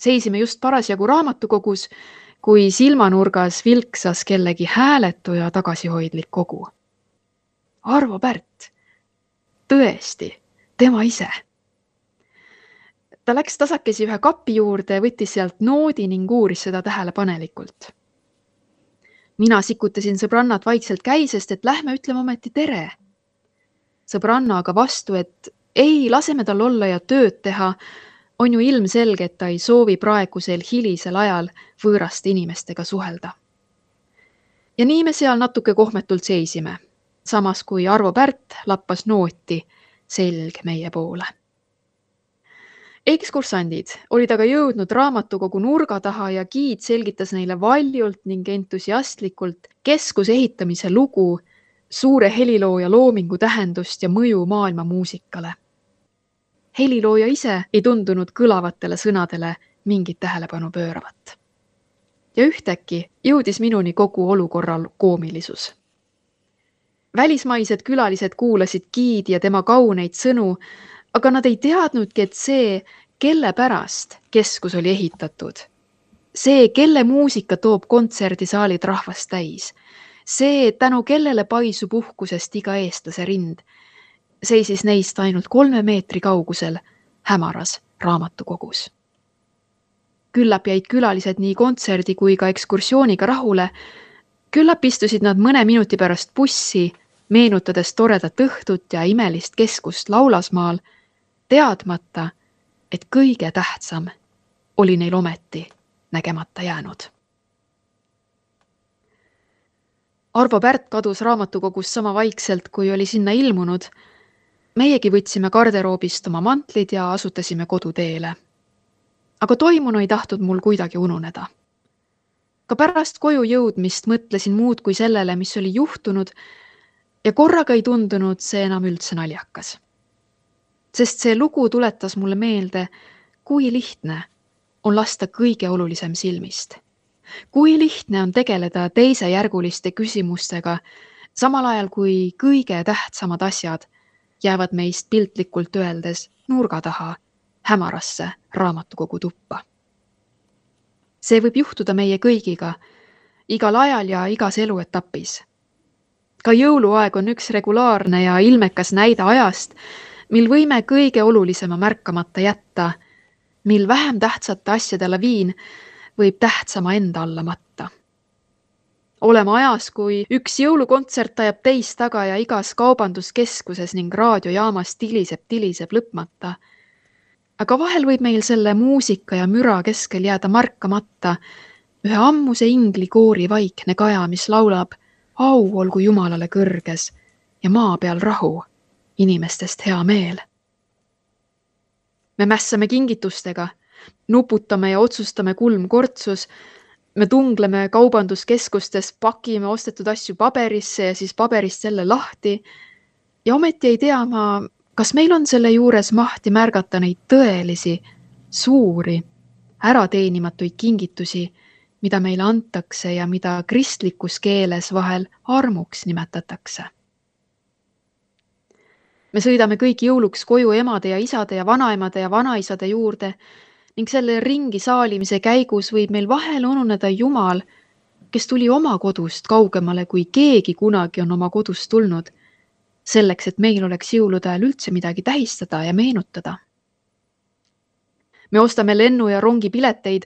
Seisime just parasjagu raamatukogus, kui silmanurgas vilksas kellegi hääletu ja tagasihoidlik kogu. Arvo Pärt. Tõesti, tema ise. Ta läks tasakesi ühe kapi juurde, võttis sealt noodi ning uuris seda tähelepanelikult. Mina sikutasin sõbrannat vaikselt käisest, et lähme ütleme ometi tere. Sõbranna aga vastu, et ei, laseme tal olla ja tööd teha, on ju ilmselge, et ta ei soovi praegusel hilisel ajal võõraste inimestega suhelda. Ja nii me seal natuke kohmetult seisime, samas kui Arvo Pärt lappas nooti selg meie poole. Ekskursandid olid aga jõudnud raamatukogu nurga taha ja giid selgitas neile valjult ning entusiastlikult keskuse ehitamise lugu, suure helilooja loomingu tähendust ja mõju maailma muusikale. Helilooja ise ei tundunud kõlavatele sõnadele mingit tähelepanu pööravat. Ja ühtäkki jõudis minuni kogu olukorral koomilisus. Välismaised külalised kuulasid giidi ja tema kauneid sõnu, aga nad ei teadnudki, et see, kelle pärast keskus oli ehitatud. See, kelle muusika toob kontserdisaalid rahvast täis. See, tänu kellele paisub uhkusest iga eestlase rind. Seisis neist ainult kolme meetri kaugusel hämaras raamatukogus. Küllap jäid külalised nii kontserdi kui ka ekskursiooniga rahule. Küllap istusid nad mõne minuti pärast bussi, meenutades toredat õhtut ja imelist keskust Laulasmaal, teadmata, et kõige tähtsam oli neil ometi nägemata jäänud. Arvo Pärt kadus raamatukogus sama vaikselt, kui oli sinna ilmunud. Meiegi võtsime garderoobist oma mantlid ja asutasime koduteele. Aga toimunu ei tahtnud mul kuidagi ununeda. Ka pärast koju jõudmist mõtlesin muud kui sellele, mis oli juhtunud ja korraga ei tundunud see enam üldse naljakas. Sest see lugu tuletas mulle meelde, kui lihtne on lasta kõige olulisem silmist. Kui lihtne on tegeleda teisejärguliste küsimustega, samal ajal kui kõige tähtsamad asjad jäävad meist piltlikult öeldes nurga taha hämarasse raamatukogu tuppa. See võib juhtuda meie kõigiga, igal ajal ja igas eluetapis. Ka jõuluaeg on üks regulaarne ja ilmekas näide ajast, mil võime kõige olulisema märkamata jätta, mil vähem tähtsate asjade laviin võib tähtsama enda alla matta. Oleme ajas, kui üks jõulukontsert ajab teist taga ja igas kaubanduskeskuses ning raadiojaamas tiliseb, tiliseb lõpmata. Aga vahel võib meil selle muusika ja müra keskel jääda markamata ühe ammuse ingli koori vaikne kaja, mis laulab au olgu Jumalale kõrges ja maa peal rahu, inimestest hea meel. Me mässame kingitustega, nuputame ja otsustame kulmkortsus, me tungleme kaubanduskeskustes, pakime ostetud asju paberisse ja siis paberist selle lahti ja ometi ei tea ma, kas meil on selle juures mahti märgata neid tõelisi, suuri, ärateenimatuid kingitusi, mida meile antakse ja mida kristlikus keeles vahel armuks nimetatakse. Me sõidame kõik jõuluks koju emade ja isade ja vanaemade ja vanaisade juurde ning selle ringi saalimise käigus võib meil vahel ununeda Jumal, kes tuli oma kodust kaugemale, kui keegi kunagi on oma kodust tulnud, selleks, et meil oleks jõulude ajal üldse midagi tähistada ja meenutada. Me ostame lennu- ja rongipileteid,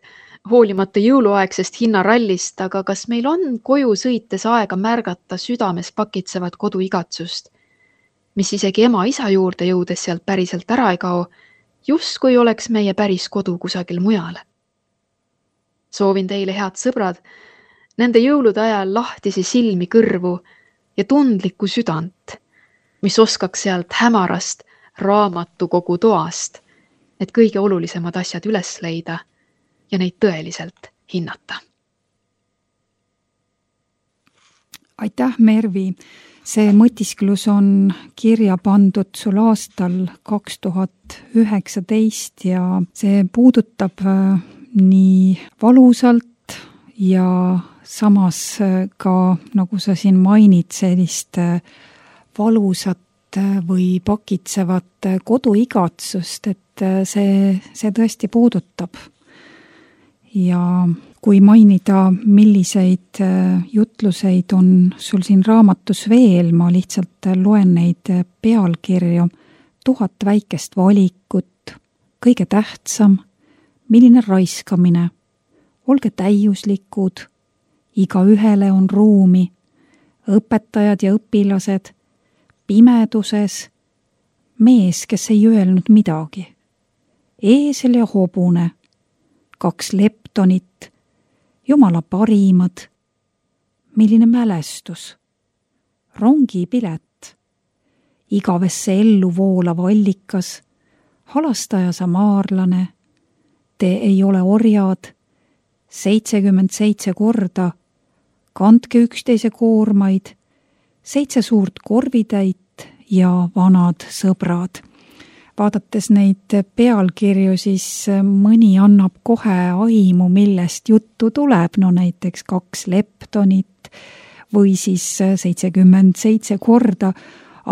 hoolimata jõuluaegsest hinnarallist, aga kas meil on koju sõites aega märgata südames pakitsevat koduigatsust, mis isegi ema-isa juurde jõudes sealt päriselt ära ei kao, just kui oleks meie päris kodu kusagil mujal. Soovin teile, head sõbrad, nende jõulude ajal lahtisi silmi kõrvu ja tundlikku südant, mis oskaks sealt hämarast raamatukogu toast, et kõige olulisemad asjad üles leida ja neid tõeliselt hinnata. Aitäh, Mervi! See mõtisklus on kirja pandud sul aastal kaks tuhat üheksateist ja see puudutab nii valusalt ja samas ka, nagu sa siin mainid, sellist valusat või pakitsevat koduigatsust, et see, see tõesti puudutab. Ja kui mainida, milliseid jutluseid on sul siin raamatus veel, ma lihtsalt loen neid pealkirju. Tuhat väikest valikut, kõige tähtsam, milline raiskamine, olge täiuslikud, iga ühele on ruumi, õpetajad ja õpilased, pimeduses, mees, kes ei öelnud midagi, eesel ja hobune, kaks leptonit, Jumala parimad, milline mälestus, rongipilet, igavesse ellu voolav allikas, halastaja samaarlane, te ei ole orjad, seitsekümmend seitse korda, kandke üksteise koormaid, seitse suurt korvitäit ja vanad sõbrad. Vaadates neid pealkirju, siis mõni annab kohe aimu, millest juttu tuleb, no näiteks kaks leptonit või siis seitsekümmend seitse korda,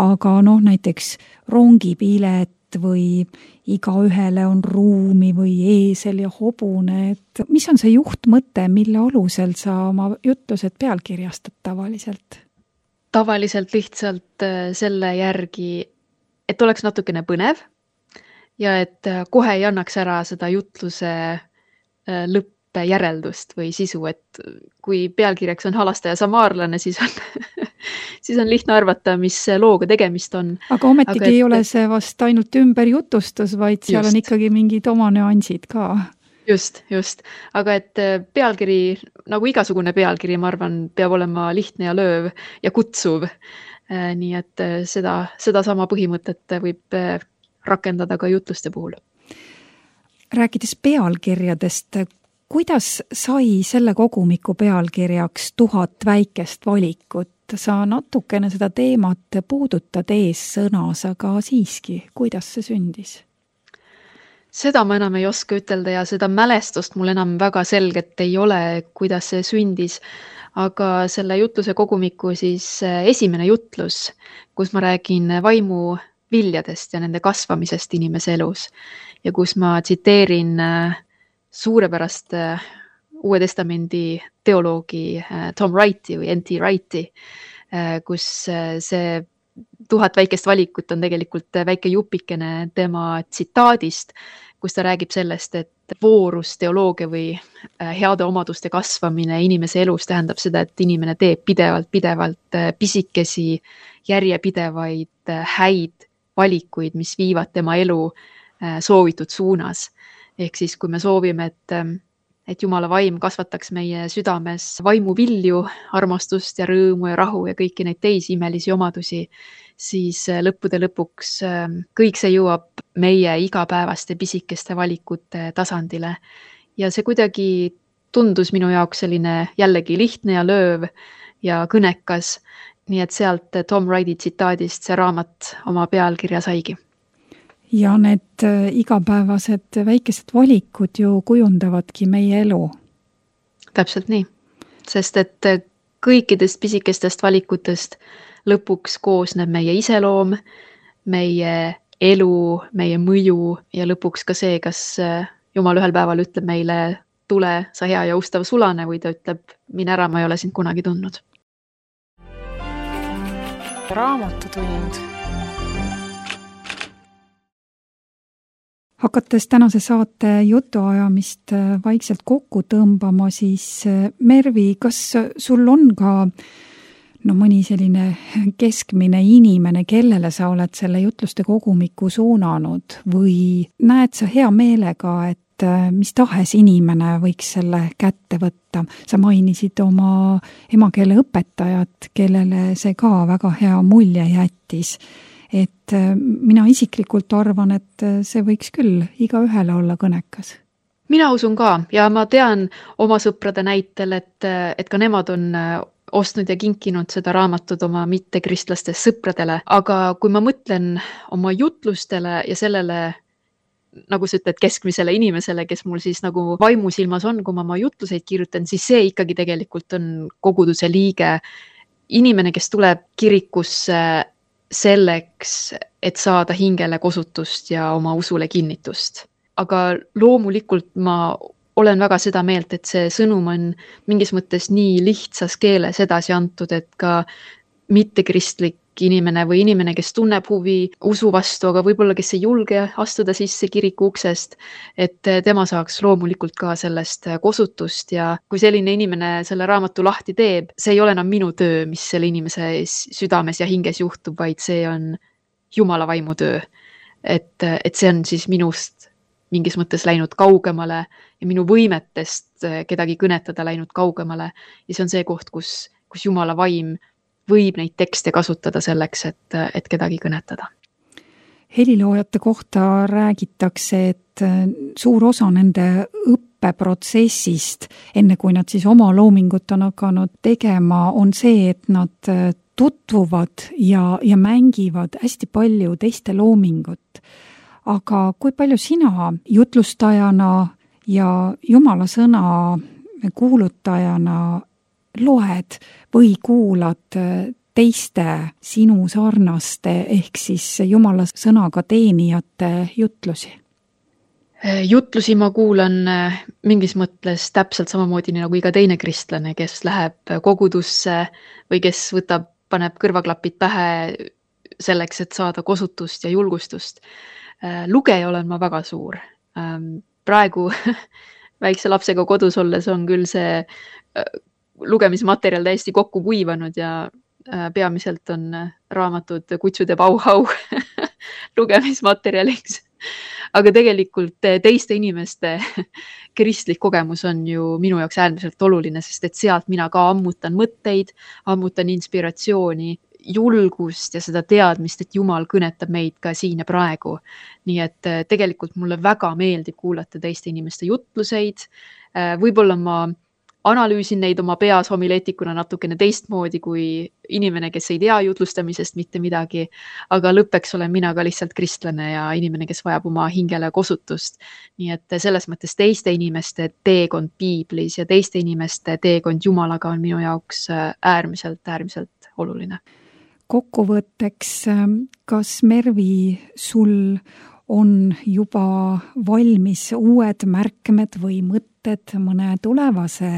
aga noh, näiteks rongipilet või iga ühele on ruumi või eesel ja hobune, et mis on see juhtmõte, mille alusel sa oma jutlused pealkirjastad tavaliselt? Tavaliselt lihtsalt selle järgi, et oleks natukene põnev, ja et kohe ei annaks ära seda jutluse lõppe järeldust või sisu, et kui pealkirjaks on halastaja samaarlane, siis on, siis on lihtne arvata, mis looga tegemist on. Aga ometigi aga et... ei ole see vast ainult ümberjutustus, vaid seal just. On ikkagi mingid oma nüansid ka. Just, just. Aga et pealkiri, nagu igasugune pealkiri, ma arvan, peab olema lihtne ja lööv ja kutsuv. Nii et seda, seda sama põhimõtet võib rakendada ka jutluste puhul. Rääkides pealkirjadest, kuidas sai selle kogumiku pealkirjaks tuhat väikest valikut? Sa natukene seda teemat puudutad ees sõnas, aga siiski, kuidas see sündis? Seda ma enam ei oska ütelda ja seda mälestust mul enam väga selget ei ole, kuidas see sündis. Aga selle jutluse kogumiku siis esimene jutlus, kus ma räägin vaimu viljadest ja nende kasvamisest inimese elus ja kus ma tsiteerin suurepärast Uue Testamendi teoloogi Tom Wrighti või N T Wrighti, kus see tuhat väikest valikut on tegelikult väike jupikene tema tsitaadist, kus ta räägib sellest, et voorus teoloogia või heade omaduste kasvamine inimese elus tähendab seda, et inimene teeb pidevalt, pidevalt pisikesi, järjepidevaid häid valikuid, mis viivad tema elu soovitud suunas. Ehk siis, kui me soovime, et, et Jumala vaim kasvataks meie südames vaimuvilju, armastust ja rõõmu ja rahu ja kõiki neid teisi imelisi omadusi, siis lõppude lõpuks kõik see jõuab meie igapäevaste pisikeste valikute tasandile. Ja see kuidagi tundus minu jaoks selline jällegi lihtne ja lööv ja kõnekas, nii et sealt Tom Wrighti tsitaadist see raamat oma pealkirja saigi. Ja need igapäevased väikesed valikud ju kujundavadki meie elu. Täpselt nii, sest et kõikidest pisikestest valikutest lõpuks koosneb meie iseloom, meie elu, meie mõju ja lõpuks ka see, kas Jumal ühel päeval ütleb meile, tule, sa hea ja ustav sulane, või ta ütleb, mine ära, ma ei ole sind kunagi tundnud. Raamatutund. Hakates tänase saate jutuajamist vaikselt kokku tõmbama, siis Mervi, kas sul on ka no mõni selline keskmine inimene, kellele sa oled selle jutluste kogumiku suunanud või näed sa hea meelega, et mis tahes inimene võiks selle kätte võtta? Sa mainisid oma emakeele õpetajat, kellele see ka väga hea mulje jättis. Et mina isiklikult arvan, et see võiks küll iga ühele olla kõnekas. Mina usun ka ja ma tean oma sõprade näitel, et, et ka nemad on ostnud ja kinkinud seda raamatut oma mittekristlastest sõpradele, aga kui ma mõtlen oma jutlustele ja sellele, nagu sa ütled, keskmisele inimesele, kes mul siis nagu vaimusilmas on, kui ma oma jutluseid kirjutan, siis see ikkagi tegelikult on koguduse liige, inimene, kes tuleb kirikusse selleks, et saada hingele kosutust ja oma usule kinnitust. Aga loomulikult ma olen väga seda meelt, et see sõnum on mingis mõttes nii lihtsas keeles edasi antud, et ka mittekristlik inimene või inimene, kes tunneb huvi usu vastu, aga võib-olla kes ei julge astuda sisse kiriku uksest, et tema saaks loomulikult ka sellest kosutust ja kui selline inimene selle raamatu lahti teeb, see ei ole enam minu töö, mis selle inimese südames ja hinges juhtub, vaid see on Jumala vaimu töö. Et, et see on siis minust mingis mõttes läinud kaugemale ja minu võimetest kedagi kõnetada läinud kaugemale. Ja see on see koht, kus, kus Jumala vaim võib neid tekste kasutada selleks, et, et kedagi kõnetada. Heliloojate kohta räägitakse, et suur osa nende õppeprotsessist, enne kui nad siis oma loomingut on hakanud tegema, on see, et nad tutvuvad ja, ja mängivad hästi palju teiste loomingut. Aga kui palju sina jutlustajana ja Jumala sõna kuulutajana loed või kuulad teiste sinu sarnaste ehk siis Jumala sõnaga teenijate jutlusi? Jutlusi ma kuulan mingis mõttes täpselt samamoodi nagu iga teine kristlane, kes läheb kogudusse või kes võtab, paneb kõrvaklapid pähe selleks, et saada kosutust ja julgustust. Lugeja olen ma väga suur. Praegu väikse lapsega kodus olles on küll see lugemismaterjal täiesti kokku kuivanud ja peamiselt on raamatud Kutsud ja Bauhau lugemismaterjaliks. Aga tegelikult teiste inimeste kristlik kogemus on ju minu jaoks äärmiselt oluline, sest et sealt mina ka ammutan mõtteid, ammutan inspiratsiooni, julgust ja seda teadmist, et Jumal kõnetab meid ka siin ja praegu. Nii et tegelikult mulle väga meeldib kuulata teiste inimeste jutluseid. Võib-olla ma analüüsin neid oma peas homileetikuna natukene teistmoodi kui inimene, kes ei tea jutlustamisest mitte midagi, aga lõppeks olen mina ka lihtsalt kristlane ja inimene, kes vajab oma hingele kosutust. Nii et selles mõttes teiste inimeste teekond piiblis ja teiste inimeste teekond Jumalaga on minu jaoks äärmiselt, äärmiselt oluline. Kokkuvõtteks, kas Mervi sul on juba valmis uued märkmed või mõtted mõne tulevase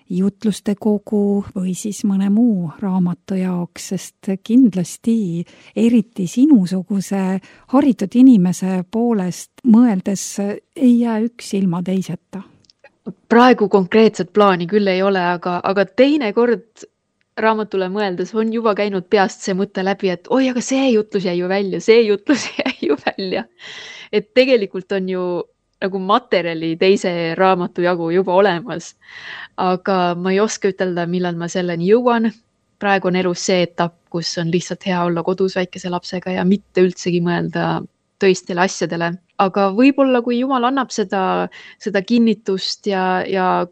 jutluste kogu või siis mõne muu raamatu jaoks, sest kindlasti eriti sinusuguse haritud inimese poolest mõeldes ei jää üks ilma teiseta. Praegu konkreetset plaani küll ei ole, aga, aga teine kord raamatule mõeldes on juba käinud peast see mõte läbi, et oi, aga see jutlus jäi ju välja, see jutlus jäi ju välja. Et tegelikult on ju nagu materjali teise raamatu jagu juba olemas, aga ma ei oska ütelda, millal ma selleni jõuan. Praegu on elus see etapp, kus on lihtsalt hea olla kodus väikese lapsega ja mitte üldsegi mõelda tõistele asjadele. Aga võib-olla, kui Jumal annab seda, seda kinnitust ja, ja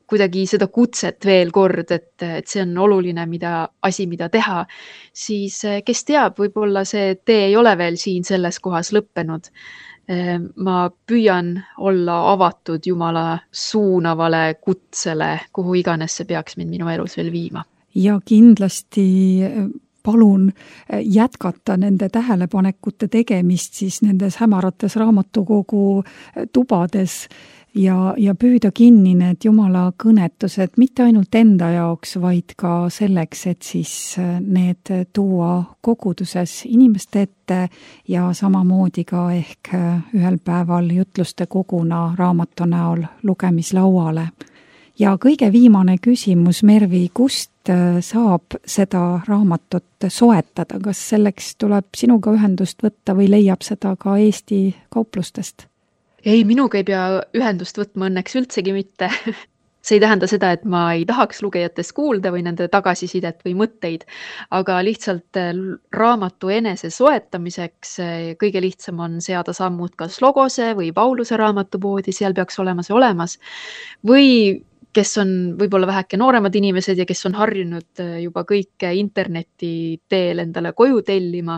kuidagi seda kutset veel kord, et, et see on oluline mida, asi, mida teha, siis kes teab, võib-olla see tee ei ole veel siin selles kohas lõppenud. Ma püüan olla avatud Jumala suunavale kutsele, kuhu iganes see peaks mind minu elus veel viima. Ja kindlasti palun jätkata nende tähelepanekute tegemist siis nendes hämarates raamatukogu tubades ja, ja püüda kinni need Jumala kõnetused mitte ainult enda jaoks, vaid ka selleks, et siis need tuua koguduses inimeste ette ja samamoodi ka ehk ühel päeval jutluste koguna raamatu näol lugemislauale. Ja kõige viimane küsimus, Mervi, kust saab seda raamatut soetada? Kas selleks tuleb sinuga ühendust võtta või leiab seda ka Eesti kauplustest? Ei, minuga ei pea ühendust võtma õnneks üldsegi mitte. See ei tähenda seda, et ma ei tahaks lugejatest kuulda või nende tagasisidet või mõtteid, aga lihtsalt raamatu enese soetamiseks kõige lihtsam on seada sammud kas Logose või Pauluse raamatupoodi, seal peaks olema see olemas, või kes on võib-olla väheke nooremad inimesed ja kes on harjunud juba kõike interneti teel endale koju tellima,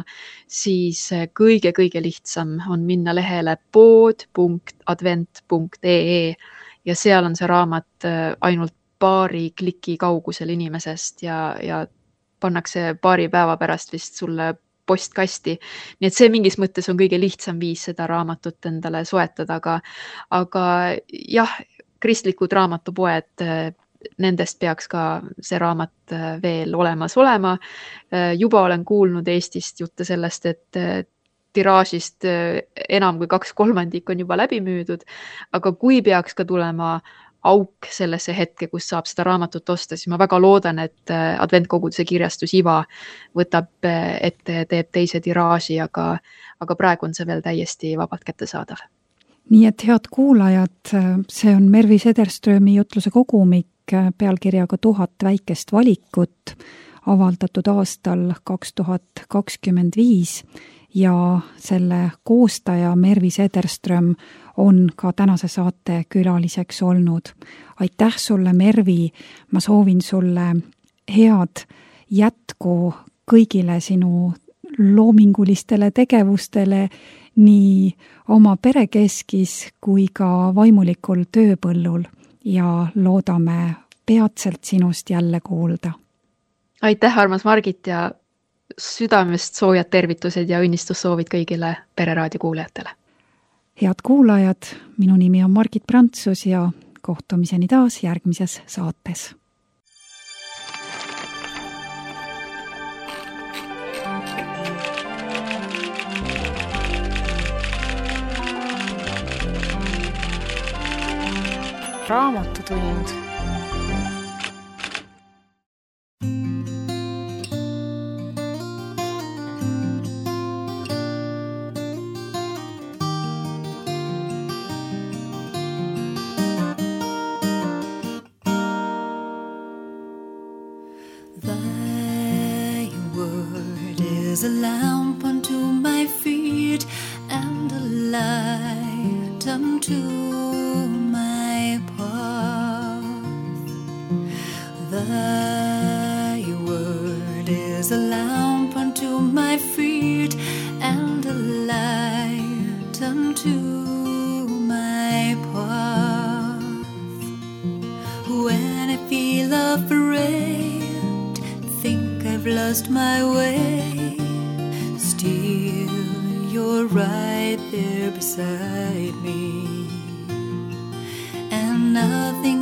siis kõige-kõige lihtsam on minna lehele pood punkt advent punkt ee ja seal on see raamat ainult paari kliki kaugusel inimesest ja, ja pannakse paari päeva pärast vist sulle postkasti. Nii et see mingis mõttes on kõige lihtsam viis seda raamatut endale soetada, aga, aga jah, kristlikud raamatupoed, nendest peaks ka see raamat veel olemas olema. Juba olen kuulnud Eestist jutte sellest, et tiraažist enam kui kaks kolmandik on juba läbi müüdud, aga kui peaks ka tulema auk sellesse hetke, kus saab seda raamatut osta, siis ma väga loodan, et adventkoguduse kirjastus Iva võtab ette, teeb teise tiraaži, aga, aga praegu on see veel täiesti vabalt kättesaadav. Nii et head kuulajad, see on Mervi Sederströmi jutluse kogumik pealkirjaga Tuhat väikest valikut, avaldatud aastal kaks tuhat kakskümmend viis ja selle koostaja Mervi Sederström on ka tänase saate külaliseks olnud. Aitäh sulle, Mervi, ma soovin sulle head jätku kõigile sinu loomingulistele tegevustele, nii oma perekeskis kui ka vaimulikul tööpõllul ja loodame peatselt sinust jälle kuulda. Aitäh, armas Margit, ja südamest soojad tervitused ja õnnistussoovid kõigile Pereraadio kuulajatele. Head kuulajad, minu nimi on Margit Prantsus ja kohtumiseni taas järgmises saates. Raamatutund. Thy word is a lamp unto my feet and a light unto my path. Thy word is a lamp unto my feet and a light unto my path. When I feel afraid, think I've lost my way, still you're right there beside me, and nothing